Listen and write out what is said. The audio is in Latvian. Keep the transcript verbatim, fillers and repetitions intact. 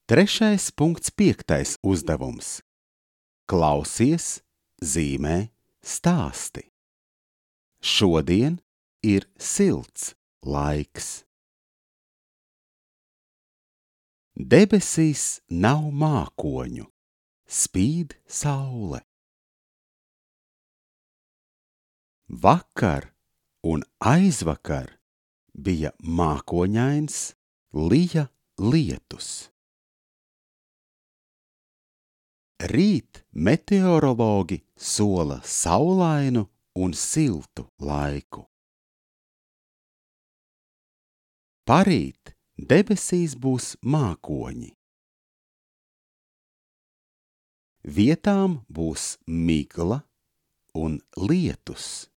Trešais punkts piektais uzdevums. Klausies, zīmē, stāsti. Šodien ir silts laiks. Debesīs nav mākoņu, spīd saule. Vakar un aizvakar bija mākoņains, lija lietus. Rīt meteorologi sola saulainu un siltu laiku. Parīt debesīs būs mākoņi. Vietām būs migla un lietus.